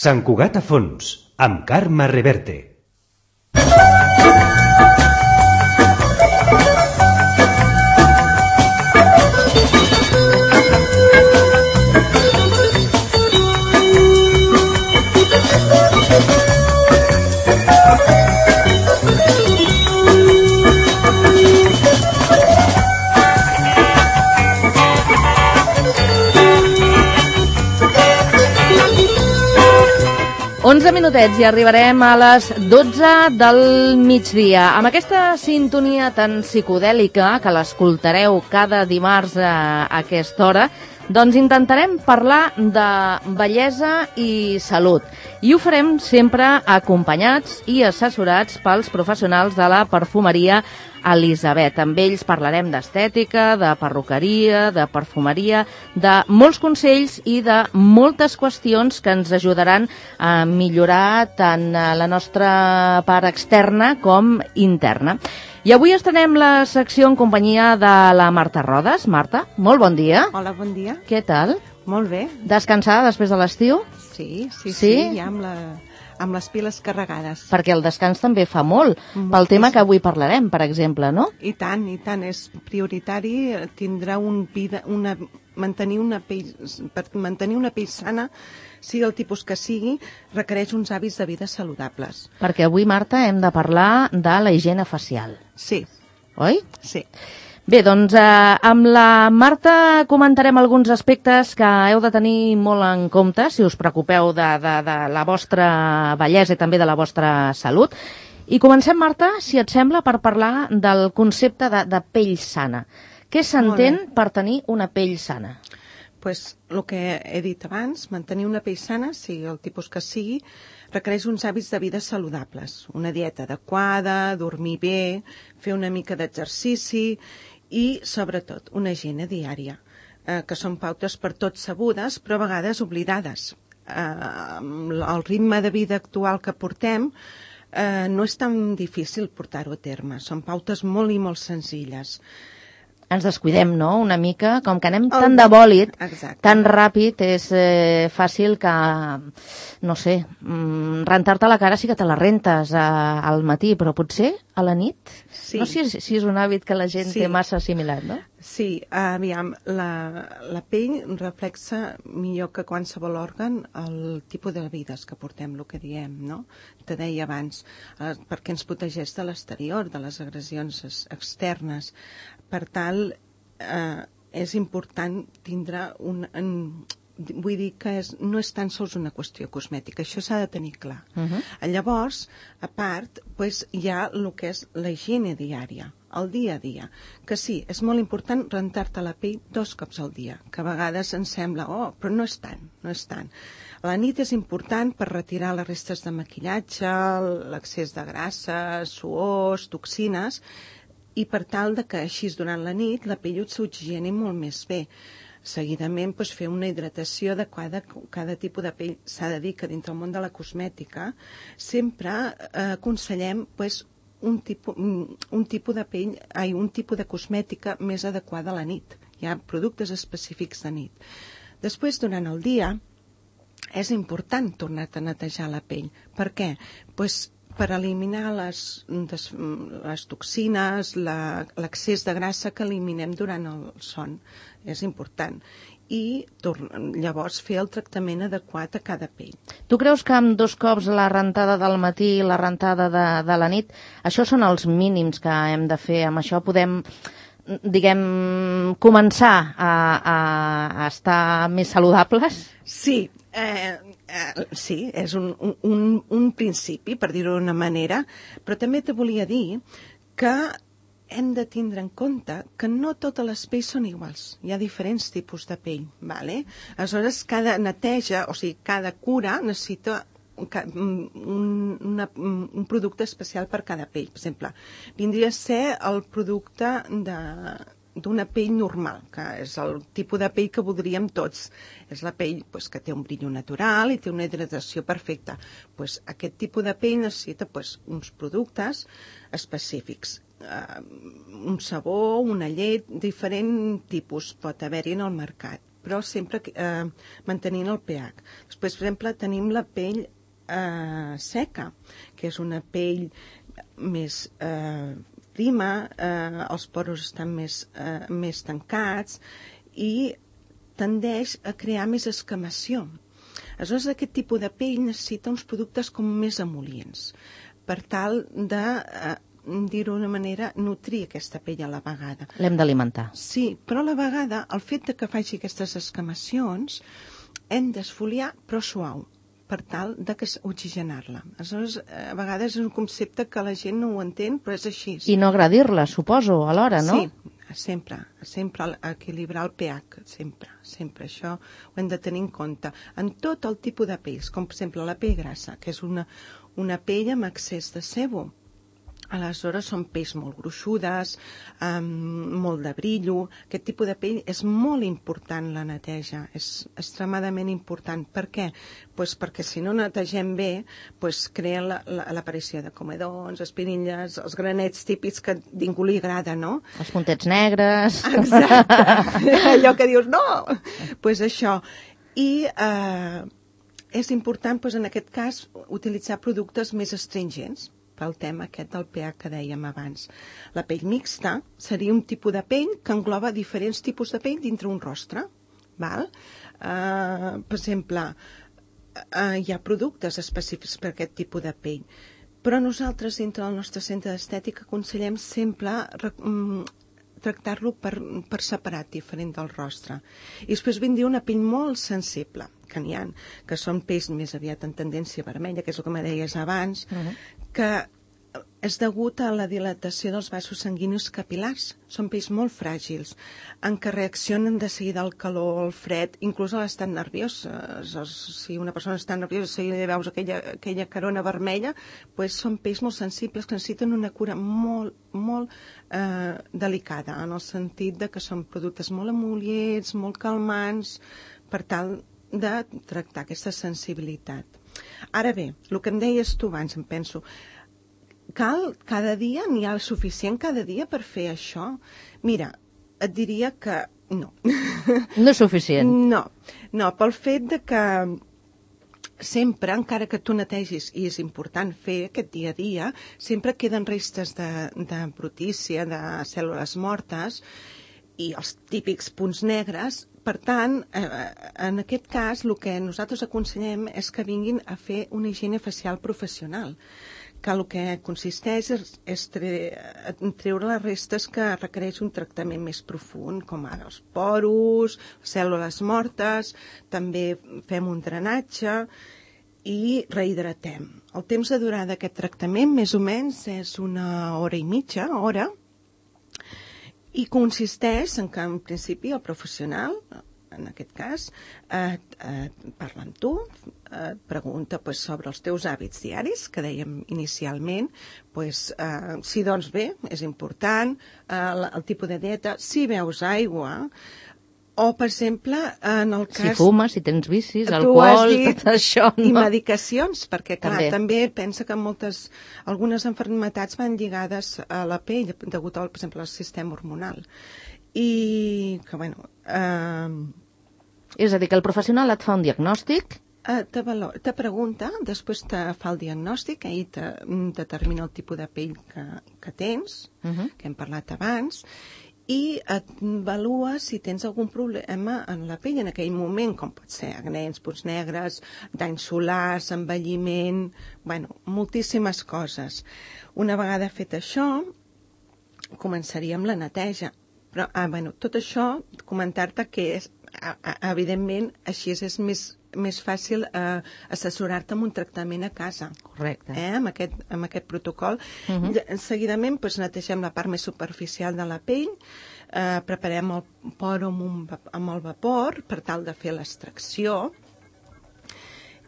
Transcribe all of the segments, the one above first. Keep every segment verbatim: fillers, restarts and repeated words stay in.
Sant Cugat a fons, amb Carme Reverte. onze minutets i arribarem a les dotze del migdia. Amb aquesta sintonia tan psicodèlica que l'escoltareu cada dimarts a aquesta hora, doncs intentarem parlar de bellesa i salut. I ho farem sempre acompanyats i assessorats pels professionals de la perfumeria Elisabet. Amb ells parlarem d'estètica, de perruqueria, de perfumeria, de molts consells i de moltes qüestions que ens ajudaran a millorar tant la nostra part externa com interna. I avui estrenem la secció en companyia de la Marta Rodes. Marta, molt bon dia. Hola, bon dia. Què tal? Molt bé. Descansada després de l'estiu? Sí, sí, sí, sí, ja amb, la, amb les piles carregades. Perquè el descans també fa molt, Moltíssim. Pel tema que avui parlarem, per exemple, no? I tant, i tant, és prioritari tindrà un vida, una, mantenir una pell, per mantenir una pell sana, sigui el tipus que sigui, requereix uns hàbits de vida saludables. Perquè avui, Marta, hem de parlar de la higiene facial. Sí. Oi? Sí. Bé, doncs eh, amb la Marta comentarem alguns aspectes que heu de tenir molt en compte si us preocupeu de, de, de la vostra bellesa i també de la vostra salut. I comencem, Marta, si et sembla, per parlar del concepte de, de pell sana. Què s'entén per tenir una pell sana? Pues, el que he dit abans, mantenir una pell sana, sigui el tipus que sigui, requereix uns hàbits de vida saludables. Una dieta adequada, dormir bé, fer una mica d'exercici i, sobretot, una higiene diària, eh, que són pautes per tots sabudes, però a vegades oblidades. Eh, el ritme de vida actual que portem eh, no és tan difícil portar-ho a terme. Són pautes molt i molt senzilles. Ens descuidem, no?, una mica, com que anem tan de bòlit, Exacte. tan ràpid, és eh, fàcil que, no sé, mm, rentar-te la cara sí que te la rentes a, al matí, però potser a la nit? Sí. No sé si, si és un hàbit que la gent Sí. té massa assimilat, no? Sí, aviam, la, la pell reflexa millor que qualsevol òrgan el tipus de vides que portem, el que diem, no? Te deia abans, eh, perquè ens protegeix de l'exterior, de les agressions externes. Per tal, eh, és important tindre un... En, vull dir que és, no és tan sols una qüestió cosmètica, això s'ha de tenir clar. Uh-huh. Llavors, a part, pues, hi ha el que és la higiene diària, el dia a dia, que sí, és molt important rentar-te la pell dos cops al dia, que a vegades ens sembla, oh, però no és tant, no és tant. A la nit és important per retirar les restes de maquillatge, l'excés de grassa, suors, toxines, i per tal de que així durant la nit la pell s'oxigeni molt més bé. Seguidament, doncs, fer una hidratació adequada. Cada tipus de pell s'ha de dir que dintre el món de la cosmètica sempre eh, aconsellem doncs, un, tipus, un tipus de pell, ai, un tipus de cosmètica més adequada a la nit. Hi ha productes específics de nit. Després, durant el dia, és important tornar a netejar la pell. Per què? Pues, per eliminar les, les toxines, l'excés de grassa que eliminem durant el son. És important. I llavors fer el tractament adequat a cada pell. Tu creus que amb dos cops la rentada del matí i la rentada de, de la nit, això són els mínims que hem de fer? Amb això podem, diguem, començar a, a, a estar més saludables? Sí, eh, eh, sí, és un, un, un principi, per dir-ho d'una manera, però també te volia dir que hem de tindre en compte que no totes les pells són iguals. Hi ha diferents tipus de pell, ¿vale? Aleshores, cada neteja, o sigui, cada cura necessita un, una, un producte especial per cada pell. Per exemple, vindria a ser el producte de... d'una pell normal, que és el tipus de pell que voldríem tots. És la pell pues, que té un brillo natural i té una hidratació perfecta. Pues, aquest tipus de pell necessita pues, uns productes específics. Uh, un sabó, una llet, diferent tipus pot haver-hi en el mercat. però sempre eh, mantenint el pH. Després, per exemple, tenim la pell eh, seca, que és una pell més eh, prima, eh, els poros estan més, eh, més tancats i tendeix a crear més escamació. Aleshores, aquest tipus de pell necessita uns productes com més emol·lients per tal de, eh, dir-ho d'una manera, nutrir aquesta pell a la vegada. L'hem d'alimentar. Sí, però a la vegada, el fet de que faci aquestes escamacions, hem d'esfoliar, però suau, per tal de que oxigenar-la. Aleshores, a vegades és un concepte que la gent no ho entén, però és així. I no agradir-la, suposo, alhora, no? Sí, sempre, sempre equilibrar el pH, sempre, sempre. Això ho hem de tenir en compte. En tot el tipus de pells, com per exemple la pell grassa, que és una, una pell amb excés de sebo. Aleshores són pells molt gruixudes, amb molt de brillo. Aquest tipus de pell és molt important la neteja, és extremadament important. Per què? Pues perquè si no netegem bé, pues crea l'aparició de comedons, espirilles, els granets típics que ningú li agrada, no? Els puntets negres. Exacte, allò que dius, no! Pues això. I eh, és important, pues, en aquest cas, utilitzar productes més astringents, pel tema aquest del pH que dèiem abans. La pell mixta seria un tipus de pell que engloba diferents tipus de pell dintre un rostre. Val? Uh, per exemple, uh, hi ha productes específics per aquest tipus de pell, però nosaltres dintre del nostre centre d'estètica aconsellem sempre um, tractar-lo per, per separat, diferent del rostre. I després vindria una pell molt sensible, que n'hi ha, que són pells més aviat en tendència vermella, que és el que me deies abans, uh-huh. que és degut a la dilatació dels vasos sanguinis capil·lars. Són pells molt fràgils, en què reaccionen de seguida al calor, al fred, inclús a l'estat nerviós. Si una persona està nerviosa, si li veus aquella, aquella carona vermella, pues són pells molt sensibles que necessiten una cura molt, molt eh, delicada, en el sentit de que són productes molt emol·lients, molt calmants, per tal de tractar aquesta sensibilitat. Ara bé, el que em deies tu abans, em penso, cal cada dia, n'hi ha suficient cada dia per fer això? Mira, et diria que no. No és suficient? No, no, pel fet de que sempre, encara que tu netegis, i és important fer aquest dia a dia, sempre queden restes de, de brutícia, de cèl·lules mortes, i els típics punts negres. Per tant, eh, en aquest cas, el que nosaltres aconsellem és que vinguin a fer una higiene facial professional, que el que consisteix és, és tre, treure les restes que requereix un tractament més profund, com ara els poros, cèl·lules mortes, també fem un drenatge i rehidratem. El temps de durada d'aquest tractament, més o menys, és una hora i mitja, hora, i consisteix en que, en principi, el professional, en aquest cas, eh, eh, parla amb tu, eh, pregunta pues, sobre els teus hàbits diaris, que dèiem inicialment, pues, eh, si doncs bé, és important, eh, el, el tipus de dieta, si beus aigua, o, per exemple, en el cas... Si fumes, si tens vicis, alcohol, dit, tot això, no? I medicacions, perquè, clar, també. també pensa que moltes, algunes malalties van lligades a la pell, degut al, per exemple, al sistema hormonal. I que, bueno... Eh, és a dir, que el professional et fa un diagnòstic... Eh, te, valor, te pregunta, després te fa el diagnòstic, ell te determina el tipus de pell que, que tens, uh-huh. que hem parlat abans, i et avalua si tens algun problema en la pell en aquell moment, com pot ser acnens, punts negres, danys solars, envelliment, bueno, moltíssimes coses. Una vegada fet això, començaríem la neteja. Però, ah, bueno, tot això, comentar-te que és, evidentment, així és més, més fàcil eh, assessorar-te amb un tractament a casa. Correcte. Eh, amb, aquest, amb aquest protocol. Uh-huh. Seguidament, doncs, netegem la part més superficial de la pell, eh, preparem el poro amb, un, amb el vapor per tal de fer l'extracció,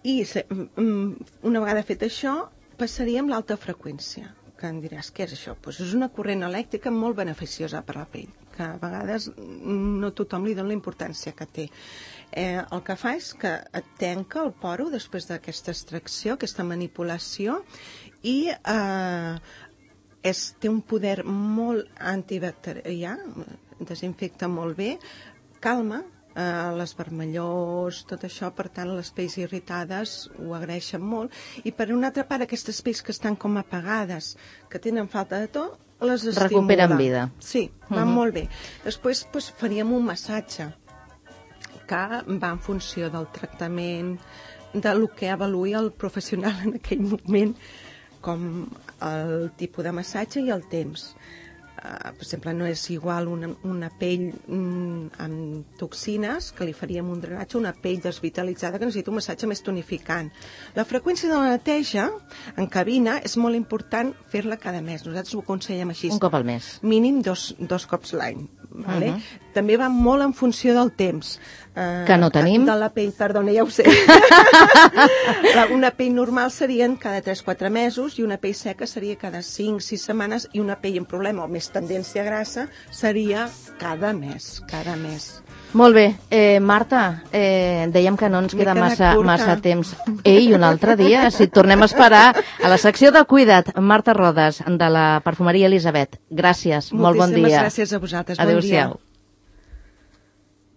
i se, una vegada fet això, passaríem l'alta freqüència, que em diràs, què és això? Pues és una corrent elèctrica molt beneficiosa per la pell, que a vegades no tothom li dona la importància que té. Eh, el que fa és que et tanca el poro després d'aquesta extracció, aquesta manipulació, i eh, és, té un poder molt antibacterià, desinfecta molt bé, calma, eh, les vermellors, tot això, per tant, les pells irritades ho agraeixen molt. I per una altra part, aquestes pells que estan com apagades, que tenen falta de to, les estimula. Recuperen vida. Sí, van uh-huh. molt bé. Després doncs, faríem un massatge, que va en funció del tractament, de lo que avaluï el professional en aquell moment, com el tipus de massatge i el temps. Uh, per exemple, no és igual una, una pell mm, amb toxines, que li faríem un drenatge, una pell desvitalitzada que necessita un massatge més tonificant. La freqüència de la neteja en cabina és molt important fer-la cada mes. Nosaltres ho aconsellem així. Un cop al mes. Mínim dos, dos cops l'any. Vale? Uh-huh. També va molt en funció del temps. Uh, que no tenim. De la pell, perdona, ja ho sé. la, una pell normal serien cada tres a quatre mesos i una pell seca seria cada cinc a sis setmanes i una pell amb problema o més tendència grassa seria cada mes, cada mes. Molt bé. Eh, Marta, eh, dèiem que no ens queda massa, massa temps. Ei, un altre dia, si et tornem a esperar a la secció de Cuida't, Marta Rodes, de la perfumeria Elisabet. Gràcies, molt bon dia. Moltíssimes gràcies a vosaltres. Bon dia. Adéu-siau.